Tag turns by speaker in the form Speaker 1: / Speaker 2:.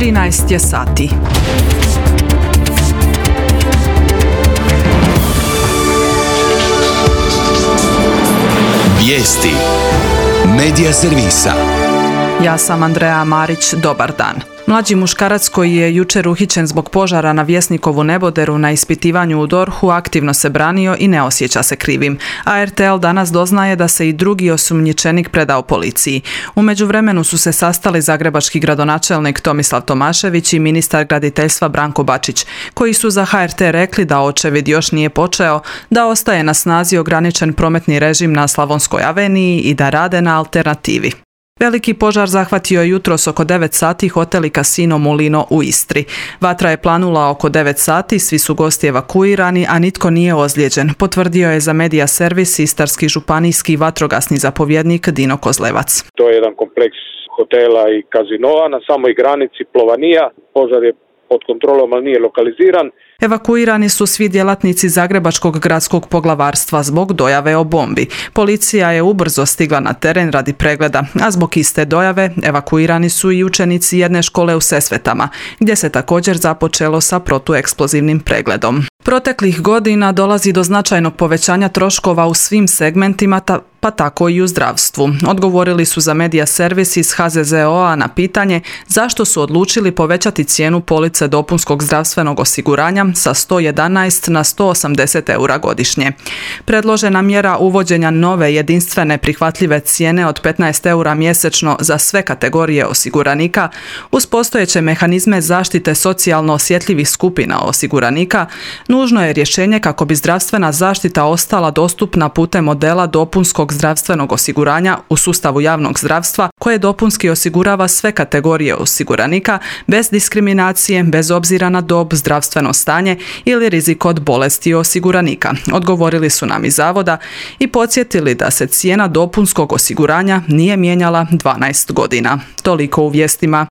Speaker 1: 13 je sati.
Speaker 2: Vijesti Medija servisa.
Speaker 1: Ja sam Andreja Marić, dobar dan. Mlađi muškarac koji je jučer uhićen zbog požara na Vjesnikovu neboderu na ispitivanju u DORH-u aktivno se branio i ne osjeća se krivim. A RTL danas doznaje da se i drugi osumnjičenik predao policiji. U međuvremenu su se sastali zagrebački gradonačelnik Tomislav Tomašević i ministar graditeljstva Branko Bačić, koji su za HRT rekli da očevid još nije počeo, da ostaje na snazi ograničen prometni režim na Slavonskoj aveniji i da rade na alternativi. Veliki požar zahvatio je jutros oko 9 sati hotel i kasino Mulino u Istri. Vatra je planula oko 9 sati, svi su gosti evakuirani, a nitko nije ozlijeđen, potvrdio je za Medija servis istarski županijski vatrogasni zapovjednik Dino Kozlevac.
Speaker 3: To je jedan kompleks hotela i kazinoa na samoj granici Plovanija. Požar je pod kontrolom, ali nije lokaliziran.
Speaker 1: Evakuirani su svi djelatnici Zagrebačkog gradskog poglavarstva zbog dojave o bombi. Policija je ubrzo stigla na teren radi pregleda, a zbog iste dojave evakuirani su i učenici jedne škole u Sesvetama, gdje se također započelo sa protueksplozivnim pregledom. Proteklih godina dolazi do značajnog povećanja troškova u svim segmentima, pa tako i u zdravstvu. Odgovorili su za Medija servis iz HZZO-a na pitanje zašto su odlučili povećati cijenu police dopunskog zdravstvenog osiguranja sa 111 na 180 eura godišnje. Predložena mjera uvođenja nove jedinstvene prihvatljive cijene od 15 eura mjesečno za sve kategorije osiguranika uz postojeće mehanizme zaštite socijalno osjetljivih skupina osiguranika nužno je rješenje kako bi zdravstvena zaštita ostala dostupna putem modela dopunskog zdravstvenog osiguranja u sustavu javnog zdravstva koje dopunski osigurava sve kategorije osiguranika bez diskriminacije, bez obzira na dob, zdravstveno stanje ili rizik od bolesti osiguranika. Odgovorili su nam iz zavoda i podsjetili da se cijena dopunskog osiguranja nije mijenjala 12 godina. Toliko u vijestima.